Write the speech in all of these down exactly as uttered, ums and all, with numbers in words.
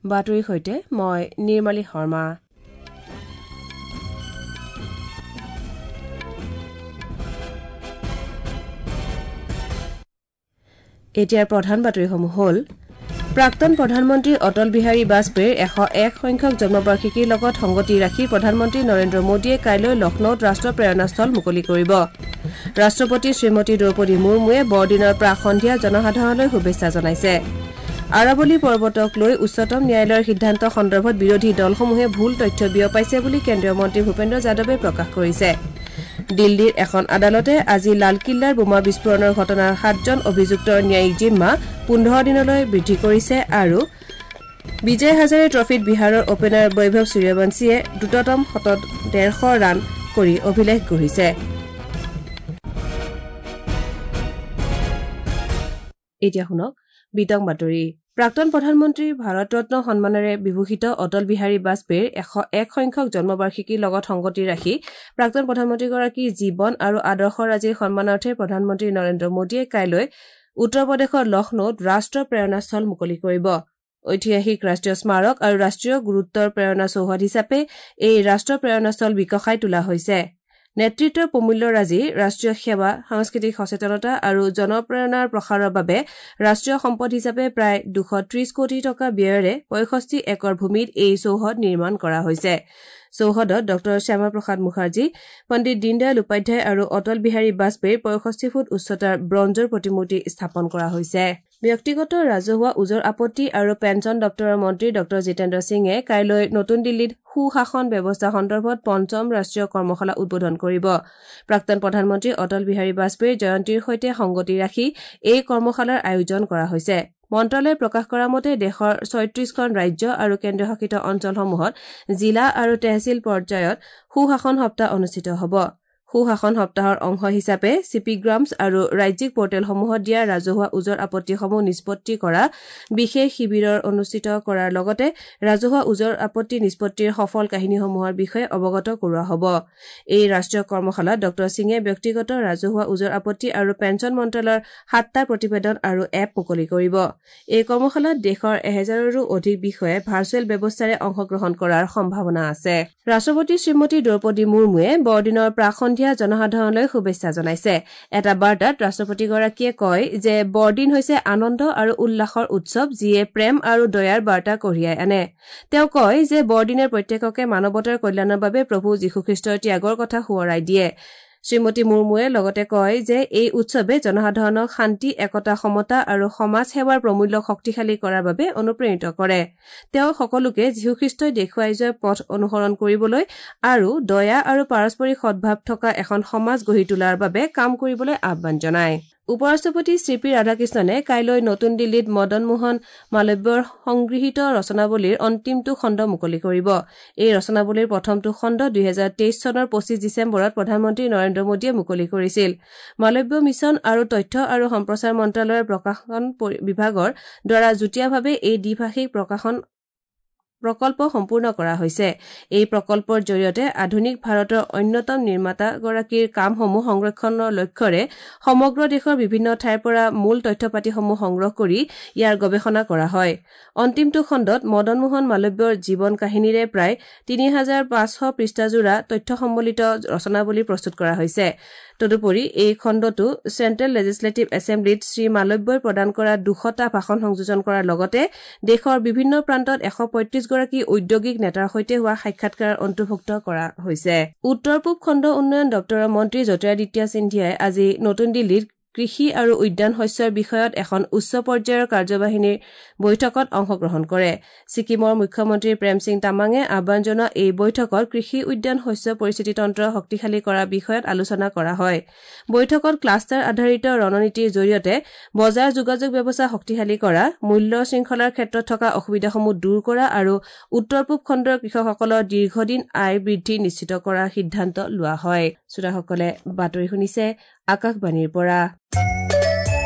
বাতৰিৰ সৈতে মই নিৰ্মালী শৰ্মা। এতিয়াৰ প্ৰধান বাতৰিসমূহ হ'ল প্ৰাক্তন প্ৰধানমন্ত্ৰী অটল বিহাৰী বাজপেয়ীৰ এশ এক সংখ্যক জন্মবাৰ্ষিকীৰ লগত সংগতি ৰাখি প্ৰধানমন্ত্ৰী নৰেন্দ্ৰ মোদীয়ে কাইলৈ লক্ষ্ণৌত ৰাষ্ট্ৰ প্ৰেৰণাস্থল মুকলি কৰিব। ৰাষ্ট্ৰপতি শ্ৰীমতী দ্ৰৌপদী মুৰ্মুৱে বৰদিনৰ প্ৰাক সন্ধিয়া জনসাধাৰণলৈ শুভেচ্ছা জনাইছে। আৰাৱলী পৰ্বতক লৈ উচ্চতম ন্যায়ালয়ৰ সিদ্ধান্ত সন্দৰ্ভত বিৰোধী দলসমূহে ভুল তথ্য বিয়পাইছে বুলি কেন্দ্ৰীয় মন্ত্ৰী ভূপেন্দ্ৰ যাদৱে প্ৰকাশ কৰিছে। দিল্লীৰ এখন আদালতে আজি লালকিল্লাৰ বোমা বিস্ফোৰণৰ ঘটনাৰ সাতজন অভিযুক্তৰ ন্যায়িক জিম্মা পোন্ধৰ দিনলৈ বৃদ্ধি কৰিছে আৰু বিজয় হাজাৰে ট্ৰফীত বিহাৰৰ অপেনাৰ বৈভৱ সূৰ্যবংশীয়ে দ্ৰুততম শতত ডেৰশ ৰান কৰি অভিলেখ গঢ়িছে। এতিয়া শুনক বিতং বাতৰি। প্ৰাক্তন প্ৰধানমন্ত্ৰী ভাৰতৰত্ন সন্মানেৰে বিভূষিত অটল বিহাৰী বাজপেয়ীৰ এশ এক সংখ্যক জন্মবাৰ্ষিকীৰ লগত সংগতি ৰাখি প্ৰাক্তন প্ৰধানমন্ত্ৰীগৰাকীৰ জীৱন আৰু আদৰ্শৰাজিৰ সন্মানাৰ্থে প্ৰধানমন্ত্ৰী নৰেন্দ্ৰ মোদীয়ে কাইলৈ উত্তৰ প্ৰদেশৰ লক্ষ্ণৌত ৰাষ্ট্ৰ প্ৰেৰণাস্থল মুকলি কৰিব। ঐতিহাসিক ৰাষ্ট্ৰীয় স্মাৰক আৰু ৰাষ্ট্ৰীয় গুৰুত্বৰ প্ৰেৰণা চৌহদ হিচাপে এই ৰাষ্ট্ৰ প্ৰেৰণাস্থল বিকশাই তোলা হৈছে। নেতৃত্বৰ প্ৰমূল্যৰাজি ৰাষ্ট্ৰীয় সেৱা, সাংস্কৃতিক সচেতনতা আৰু জনপ্ৰেৰণাৰ প্ৰসাৰৰ বাবে ৰাষ্ট্ৰীয় সম্পদ হিচাপে প্ৰায় দুশ ত্ৰিশ কোটি টকা ব্যয়েৰে পঁয়ষষ্ঠি একৰ ভূমিত এই চৌহদ নিৰ্মাণ কৰা হৈছে। চৌহদত ডঃ শ্যামা প্ৰসাদ মুখাৰ্জী, পণ্ডিত দীনদয়াল উপাধ্যায় আৰু অটল বিহাৰী বাজপেয়ীৰ পঁয়ষষ্ঠি ফুট উচ্চতাৰ ব্ৰঞ্জৰ প্ৰতিমূৰ্তি স্থাপন কৰা হৈছে। ব্যক্তিগত ৰাজহুৱা ওজৰ আপত্তি আৰু পেঞ্চন দপ্তৰৰ মন্ত্ৰী ডঃ জিতেন্দ্ৰ সিঙে কাইলৈ নতুন দিল্লীত সুশাসন ব্যৱস্থা সন্দৰ্ভত পঞ্চম ৰাষ্ট্ৰীয় কৰ্মশালা উদ্বোধন কৰিব। প্ৰাক্তন প্ৰধানমন্ত্ৰী অটল বিহাৰী বাজপেয়ীৰ জয়ন্তীৰ সৈতে সংগতি ৰাখি এই কৰ্মশালাৰ আয়োজন কৰা হৈছে। মন্ত্ৰালয়ে প্ৰকাশ কৰা মতে দেশৰ ছয়ত্ৰিশখন ৰাজ্য আৰু কেন্দ্ৰীয়শাসিত অঞ্চলসমূহত জিলা আৰু তেহছিল পৰ্যায়ত সুশাসন সপ্তাহ অনুষ্ঠিত হ'ব। সুশাসন সপ্তাহৰ অংশ হিচাপে চিপিগ্ৰামছ আৰু ৰাজ্যিক পৰ্টেলসমূহত দিয়া ৰাজহুৱা ওজৰ আপত্তিসমূহ নিষ্পত্তি কৰা বিশেষ শিবিৰৰ অনুষ্ঠিত কৰাৰ লগতে ৰাজহুৱা ওজৰ আপত্তি নিষ্পত্তিৰ সফল কাহিনীসমূহৰ বিষয়ে অৱগত কৰোৱা হ'ব। এই ৰাষ্ট্ৰীয় কৰ্মশালাত ডঃ সিঙে ব্যক্তিগত ৰাজহুৱা ওজৰ আপত্তি আৰু পেঞ্চন মন্ত্ৰালয়ৰ সাতটা প্ৰতিবেদন আৰু এপ মুকলি কৰিব। এই কৰ্মশালাত দেশৰ এহেজাৰৰো অধিক বিষয়াই ভাৰ্চুৱেল ব্যৱস্থাৰে অংশগ্ৰহণ কৰাৰ সম্ভাৱনা আছে। ৰাষ্ট্ৰপতি শ্ৰীমতী দ্ৰৌপদী মুৰ্মুৱে বৰদিনৰ প্ৰাক সন্ধিয়া জনসাধাৰণলৈ শুভেচ্ছা জনাইছে। এটা বাৰ্তাত ৰাষ্ট্ৰপতিগৰাকীয়ে কয় যে বৰদিন হৈছে আনন্দ আৰু উল্লাসৰ উৎসৱ, যিয়ে প্ৰেম আৰু দয়াৰ বাৰ্তা কঢ়িয়াই আনে। তেওঁ কয় যে বৰদিনে প্ৰত্যেককে মানৱতাৰ কল্যাণৰ বাবে প্ৰভু যীশুখ্ৰীষ্টৰ ত্যাগৰ কথা সোঁৱৰাই দিয়ে। শ্ৰীমতী মুৰ্মুৱে লগতে কয় যে এই উৎসৱে জনসাধাৰণক শান্তি, একতা, সমতা আৰু সমাজ সেৱাৰ প্ৰমূল্যক শক্তিশালী কৰাৰ বাবে অনুপ্ৰেৰিত কৰে। তেওঁ সকলোকে যীশুখ্ৰীষ্টই দেখুৱাই যোৱা পথ অনুসৰণ কৰিবলৈ আৰু দয়া আৰু পাৰস্পৰিক সদ্ভাৱ থকা এখন সমাজ গঢ়ি তোলাৰ বাবে কাম কৰিবলৈ আহ্বান জনায়। উপ-ৰাষ্ট্ৰপতি চি পি ৰাধাকৃষ্ণনে কাইলৈ নতুন দিল্লীত মদন মোহন মালব্যৰ সংগৃহীত ৰচনাৱলীৰ অন্তিমটো খণ্ড মুকলি কৰিব। এই ৰচনাৱলীৰ প্ৰথমটো খণ্ড দুহেজাৰ তেইছ চনৰ পঁচিছ ডিচেম্বৰত প্ৰধানমন্ত্ৰী নৰেন্দ্ৰ মোদীয়ে মুকলি কৰিছিল। মালব্য মিছন আৰু তথ্য আৰু সম্প্ৰচাৰ মন্ত্ৰালয়ৰ প্ৰকাশন বিভাগৰ দ্বাৰা যুটীয়াভাৱে এই দ্বিভাষিক প্ৰকাশন প্ৰকল্প সম্পূৰ্ণ কৰা হৈছে। এই প্ৰকল্পৰ জৰিয়তে আধুনিক ভাৰতৰ অন্যতম নিৰ্মাতাগৰাকীৰ কামসমূহ সংৰক্ষণৰ লক্ষ্যৰে সমগ্ৰ দেশৰ বিভিন্ন ঠাইৰ পৰা মূল তথ্যপাতিসমূহ সংগ্ৰহ কৰি ইয়াৰ গৱেষণা কৰা হয়। অন্তিমটো খণ্ডত মদন মোহন মালব্যৰ জীৱন কাহিনীৰে প্ৰায় তিনি হাজাৰ পাঁচশ পৃষ্ঠাজোৰা তথ্য সম্বলিত ৰচনাৱলী প্ৰস্তুত কৰা হৈছে। তদুপৰি এই খণ্ডটো চেণ্ট্ৰেল লেজিছলেটিভ এছেম্বলিত শ্ৰী মালব্যই প্ৰদান কৰা দুশটা ভাষণ সংযোজন কৰাৰ লগতে দেশৰ বিভিন্ন প্ৰান্তত এশ পঁয়ত্ৰিশগৰাকী ঔদ্যোগিক নেতাৰ সৈতে হোৱা সাক্ষাৎকাৰ অন্তৰ্ভুক্ত কৰা হৈছে। উত্তৰ পূব খণ্ড উন্নয়ন দপ্তৰৰ মন্ত্ৰী জ্যোতিৰাদিত্য সিন্ধিয়াই আজি নতুন দিল্লীত কৃষি আৰু উদ্যান শস্যৰ বিষয়ত এখন উচ্চ পৰ্যায়ৰ কাৰ্যবাহিনীৰ বৈঠকত অংশগ্ৰহণ কৰে। ছিকিমৰ মুখ্যমন্ত্ৰী প্ৰেম সিং তামাঙে আহ্বান জনোৱা এই বৈঠকত কৃষি উদ্যান শস্য পৰিস্থিতিতন্ত্ৰ শক্তিশালী কৰাৰ বিষয়ত আলোচনা কৰা হয়। বৈঠকত ক্লাষ্টাৰ আধাৰিত ৰণনীতিৰ জৰিয়তে বজাৰ যোগাযোগ ব্যৱস্থা শক্তিশালী কৰা, মূল্য শৃংখলাৰ ক্ষেত্ৰত থকা অসুবিধাসমূহ দূৰ কৰা আৰু উত্তৰ পূব খণ্ডৰ কৃষকসকলৰ দীৰ্ঘদিন আয় বৃদ্ধি নিশ্চিত কৰাৰ সিদ্ধান্ত লোৱা হয়। শ্ৰোতাসকলে বাতৰি শুনিছে আকাশবাণীৰ পৰা।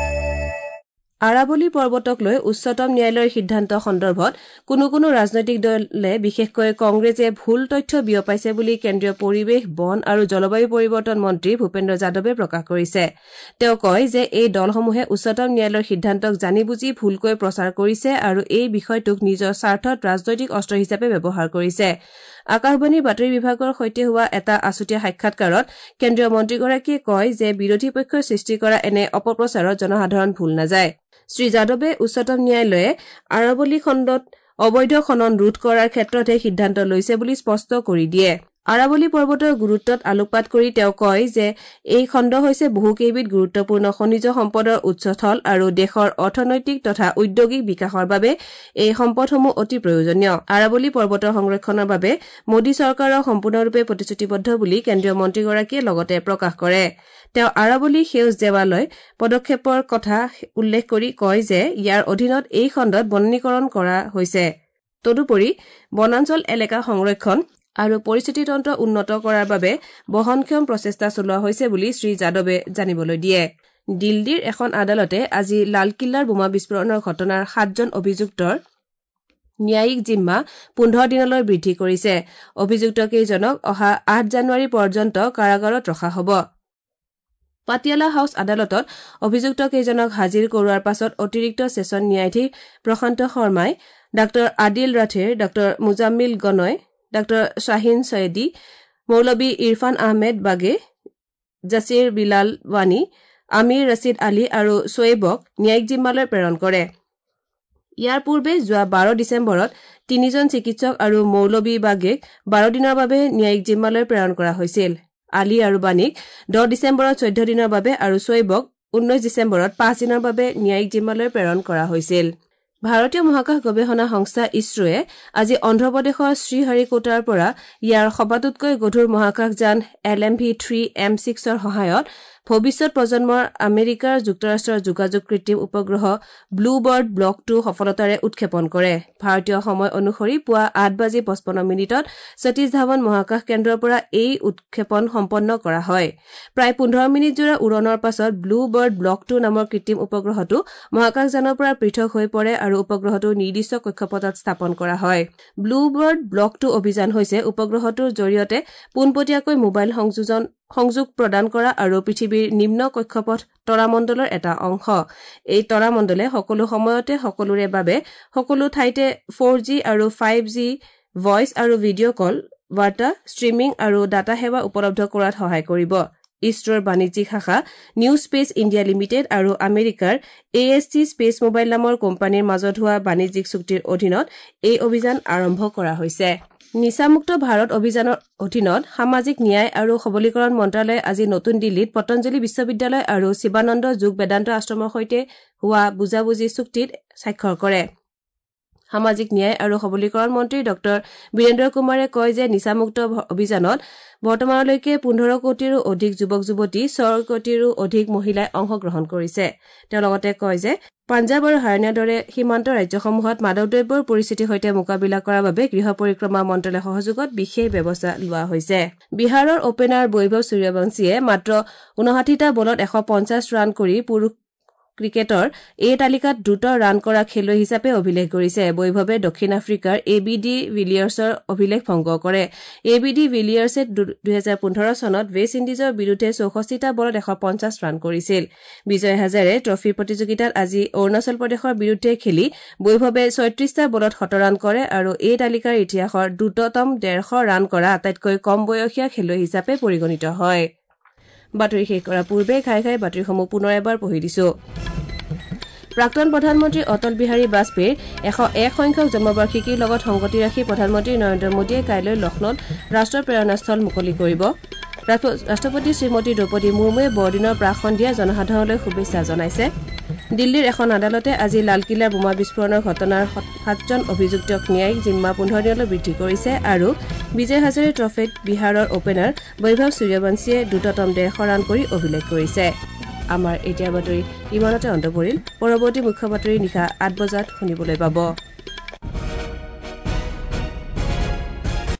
আৰাৱলী পৰ্বতক লৈ উচ্চতম ন্যায়ালয়ৰ সিদ্ধান্ত সন্দৰ্ভত কোনো কোনো ৰাজনৈতিক দলে বিশেষকৈ কংগ্ৰেছে ভুল তথ্য বিয়পাইছে বুলি কেন্দ্ৰীয় পৰিৱেশ, বন আৰু জলবায়ু পৰিৱৰ্তন মন্ত্ৰী ভূপেন্দ্ৰ যাদৱে প্ৰকাশ কৰিছে। তেওঁ কয় যে এই দলসমূহে উচ্চতম ন্যায়ালয়ৰ সিদ্ধান্তক জানি বুজি ভুলকৈ প্ৰচাৰ কৰিছে আৰু এই বিষয়টোক নিজৰ স্বাৰ্থত ৰাজনৈতিক অস্ত্ৰ হিচাপে ব্যৱহাৰ কৰিছে। আকাশবাণীৰ বাতৰি বিভাগৰ সৈতে হোৱা এটা আছুতীয়া সাক্ষাৎকাৰত কেন্দ্ৰীয় মন্ত্ৰীগৰাকীয়ে কয় যে বিৰোধী পক্ষই সৃষ্টি কৰা এনে অপপ্ৰচাৰত জনসাধাৰণ ভুল নাযায়। শ্ৰী যাদৱে উচ্চতম ন্যায়ালয়ে আৰাৱলী খণ্ডত অবৈধ খনন ৰোধ কৰাৰ ক্ষেত্ৰতহে সিদ্ধান্ত লৈছে বুলি স্পষ্ট কৰি দিয়ে। আৰাৱলী পৰ্বতৰ গুৰুত্বত আলোকপাত কৰি তেওঁ কয় যে এই খণ্ড হৈছে বহুকেইবিধ গুৰুত্বপূৰ্ণ খনিজ সম্পদৰ উৎসস্থল আৰু দেশৰ অৰ্থনৈতিক তথা ঔদ্যোগিক বিকাশৰ বাবে এই সম্পদসমূহ অতি প্ৰয়োজনীয়। আৰাৱলী পৰ্বতৰ সংৰক্ষণৰ বাবে মোদী চৰকাৰৰ সম্পূৰ্ণৰূপে প্ৰতিশ্ৰুতিবদ্ধ বুলি কেন্দ্ৰীয় মন্ত্ৰীগৰাকীয়ে লগতে প্ৰকাশ কৰে। তেওঁ আৰাৱলী সেউজ দেৱালয় পদক্ষেপৰ কথা উল্লেখ কৰি কয় যে ইয়াৰ অধীনত এই খণ্ডত বনানীকৰণ কৰা হৈছে। তদুপৰি বনাঞ্চল এলেকা সংৰক্ষণ আৰু পৰিস্থিতিতন্ত্ৰ উন্নত কৰাৰ বাবে বহনক্ষম প্ৰচেষ্টা চলোৱা হৈছে বুলি শ্ৰী যাদৱে জানিবলৈ দিয়ে। দিল্লীৰ এখন আদালতে আজি লালকিল্লাৰ বোমা বিস্ফোৰণৰ ঘটনাৰ সাতজন অভিযুক্তৰ ন্যায়িক জিম্মা পোন্ধৰ দিনলৈ বৃদ্ধি কৰিছে। অভিযুক্তকেইজনক অহা আঠ জানুৱাৰী পৰ্যন্ত কাৰাগাৰত ৰখা হ'ব। পাটিয়ালা হাউচ আদালতত অভিযুক্তকেইজনক হাজিৰ কৰোৱাৰ পাছত অতিৰিক্ত ছেছন ন্যায়াধীশ প্ৰশান্ত শৰ্মাই ডাঃ আদিল ৰাথেৰ, ডাঃ মুজাম্মিল গনয়, ডাঃ শ্বাহিন ছয়েদী, মৌলবী ইৰফান আহমেদ বাগে, জাছিৰ বিলাল ৱানী, আমিৰ ৰছিদ আলী আৰু ছোৱেবক ন্যায়িক জিম্মালৈ প্ৰেৰণ কৰে। ইয়াৰ পূৰ্বে যোৱা বাৰ ডিচেম্বৰত তিনিজন চিকিৎসক আৰু মৌলবী বাগেক বাৰ দিনৰ বাবে ন্যায়িক জিম্মালৈ প্ৰেৰণ কৰা হৈছিল। আলী আৰু বানীক দহ ডিচেম্বৰত চৈধ্য দিনৰ বাবে আৰু ছোৱেবক ঊনৈশ ডিচেম্বৰত পাঁচ দিনৰ বাবে ন্যায়িক জিম্মালৈ প্ৰেৰণ কৰা হৈছিল। ভাৰতীয় মহাকাশ গৱেষণা সংস্থা ইছৰোৱে আজি অন্ধ্ৰপ্ৰদেশৰ শ্ৰীহৰিকোটাৰ পৰা ইয়াৰ সবাতোতকৈ গধুৰ মহাকাশযান L M V three M ছিক্সৰ সহায়ত ভৱিষ্যত প্ৰজন্মৰ আমেৰিকাৰ যুক্তৰাষ্ট্ৰৰ যোগাযোগ কৃত্ৰিম উপগ্ৰহ ব্লু বাৰ্ড ব্লক টু সফলতাৰে উৎক্ষেপণ কৰে। ভাৰতীয় সময় অনুসৰি পুৱা আঠ বাজি পঁচপন্ন মিনিটত সতীশ ধাৱন মহাকাশ কেন্দ্ৰৰ পৰা এই উৎক্ষেপণ সম্পন্ন কৰা হয়। প্ৰায় পোন্ধৰ মিনিটজোৰা উৰণৰ পাছত ব্লু বাৰ্ড ব্লক টু নামৰ কৃত্ৰিম উপগ্ৰহটো মহাকাশযানৰ পৰা পৃথক হৈ পৰে আৰু উপগ্ৰহটো নিৰ্দিষ্ট কক্ষপথত স্থাপন কৰা হয়। ব্লু বাৰ্ড ব্লক টু অভিযান হৈছে উপগ্ৰহটোৰ জৰিয়তে পোনপটীয়াকৈ মোবাইল সংযোজন সংযোগ প্ৰদান কৰা আৰু পৃথিৱীৰ নিম্ন কক্ষপথ তৰামণ্ডলৰ এটা অংশ। এই তৰামণ্ডলে সকলো সময়তে সকলোৰে বাবে সকলো ঠাইতে ফ'ৰ জি আৰু ফাইভ জি ভইচ আৰু ভিডিঅ' কল, বাৰ্তা, ষ্ট্ৰীমিং আৰু ডাটা সেৱা উপলব্ধ কৰাত সহায় কৰিব। ইছৰোৰ বাণিজ্যিক শাখা নিউ স্পেচ ইণ্ডিয়া লিমিটেড আৰু আমেৰিকাৰ A S T space mobile নামৰ কোম্পানীৰ মাজত হোৱা বাণিজ্যিক চুক্তিৰ অধীনত এই অভিযান আৰম্ভ কৰা হৈছে। নিচামুক্ত ভাৰত অভিযানৰ অধীনত সামাজিক ন্যায় আৰু সবলীকৰণ মন্ত্ৰালয়ে আজি নতুন দিল্লীত পতঞ্জলি বিশ্ববিদ্যালয় আৰু শিৱানন্দ যোগ বেদান্ত আশ্ৰমৰ সৈতে হোৱা বুজাবুজি চুক্তিত স্বাক্ষৰ কৰে। সামাজিক ন্যায় আৰু সবলীকৰণ মন্ত্ৰী ডঃ বীৰেন্দ্ৰ কুমাৰে কয় যে নিচামুক্ত অভিযানত বৰ্তমানলৈকে পোন্ধৰ কোটিৰো অধিক যুৱক যুৱতী, ছয় কোটিৰো অধিক মহিলাই অংশগ্ৰহণ কৰিছে। তেওঁ লগতে কয় যে পাঞ্জাৱ আৰু হাৰিয়ানাৰ দৰে সীমান্ত ৰাজ্যসমূহত মাদক দ্ৰব্যৰ পৰিস্থিতিৰ সৈতে মোকাবিলা কৰাৰ বাবে গৃহ পৰিক্ৰমা মন্ত্ৰালয়ৰ সহযোগত বিশেষ ব্যৱস্থা লোৱা হৈছে। বিহাৰৰ অপেনাৰ বৈভৱ সূৰ্যবংশীয়ে মাত্ৰ ঊনষাঠিটা বলত এশ পঞ্চাছ ৰান কৰি পুৰুষ ক্ৰিকেটৰ এই তালিকাত দ্ৰুত ৰান কৰা খেলুৱৈ হিচাপে অভিলেখ গঢ়িছে। বৈভৱে দক্ষিণ আফ্ৰিকাৰ এ বি ডি ভিলিয়াৰ্ছৰ অভিলেখ ভংগ কৰে। এ বি ডি ভিলিয়াৰ্ছে দুহেজাৰ পোন্ধৰ চনত ৱেষ্ট ইণ্ডিজৰ বিৰুদ্ধে চৌষষ্ঠিটা বলত এশ পঞ্চাছ ৰান কৰিছিল। বিজয় হাজাৰে ট্ৰফী প্ৰতিযোগিতাত আজি অৰুণাচল প্ৰদেশৰ বিৰুদ্ধে খেলি বৈভৱে ছয়ত্ৰিশটা বলত শতৰান কৰে আৰু এই তালিকাৰ ইতিহাসৰ দ্ৰুততম ডেৰশ ৰান কৰা আটাইতকৈ কম বয়সীয়া খেলুৱৈ হিচাপে পৰিগণিত হয়। বাতৰি শেষ কৰাৰ পূৰ্বে ঘাই ঘাই বাতৰিসমূহ পুনৰ এবাৰ পঢ়ি দিছো। প্ৰাক্তন প্ৰধানমন্ত্ৰী অটল বিহাৰী বাজপেয়ীৰ এশ এক সংখ্যক জন্মবাৰ্ষিকীৰ লগত সংগতি ৰাখি প্ৰধানমন্ত্ৰী নৰেন্দ্ৰ মোদীয়ে কাইলৈ লক্ষ্ণৌত ৰাষ্ট্ৰৰ প্ৰেৰণাস্থল মুকলি কৰিব। ৰাষ্ট্ৰপতি শ্ৰীমতী দ্ৰৌপদী মুৰ্মুৱে বৰদিনৰ প্ৰাক সন্ধিয়া জনসাধাৰণলৈ শুভেচ্ছা জনাইছে। দিল্লীৰ এখন আদালতে আজি লালকিল্লাৰ বোমা বিস্ফোৰণৰ ঘটনাৰ সাতজন অভিযুক্তক ন্যায়িক জিম্মা পোন্ধৰ দিনলৈ বৃদ্ধি কৰিছে আৰু বিজয় হাজাৰে ট্ৰফীত বিহাৰৰ অপেনাৰ বৈভৱ সূৰ্যবংশীয়ে দ্ৰুততম ডেৰশ ৰান কৰি অভিলেখ কৰিছে। আমাৰ এতিয়াৰ বাতৰি ইমানতে অন্ত পৰিল। পৰৱৰ্তী মুখ্য বাতৰি নিশা আঠ বজাত শুনিবলৈ পাব।